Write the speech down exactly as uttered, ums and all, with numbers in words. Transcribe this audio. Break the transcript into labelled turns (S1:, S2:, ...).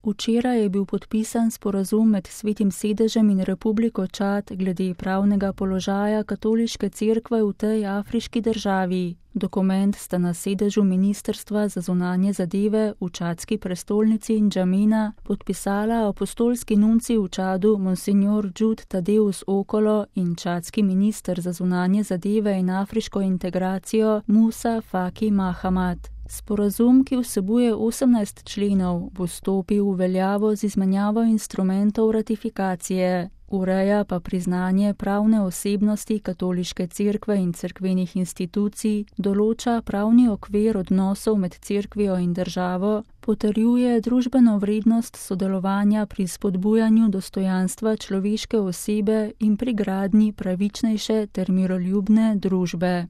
S1: Včeraj je bil podpisan sporazum med Svetim sedežem in Republiko Čad glede pravnega položaja katoliške cerkve v tej afriški državi. Dokument sta na sedežu Ministrstva za zunanje zadeve v čadski prestolnici Ndžamena podpisala apostolski nuncij v Čadu Monsignor Jude Tadeus Okolo in čadski minister za zunanje zadeve in afriško integracijo Musa Faki Mahamat. Sporazum, ki vsebuje osemnajst členov, bo stopil v veljavo z izmenjavo instrumentov ratifikacije. Ureja pa priznanje pravne osebnosti katoliške cerkve in cerkvenih institucij, določa pravni okvir odnosov med cerkvijo in državo, potrjuje družbeno vrednost sodelovanja pri spodbujanju dostojanstva človeške osebe in pri gradnji pravičnejše ter miroljubne družbe.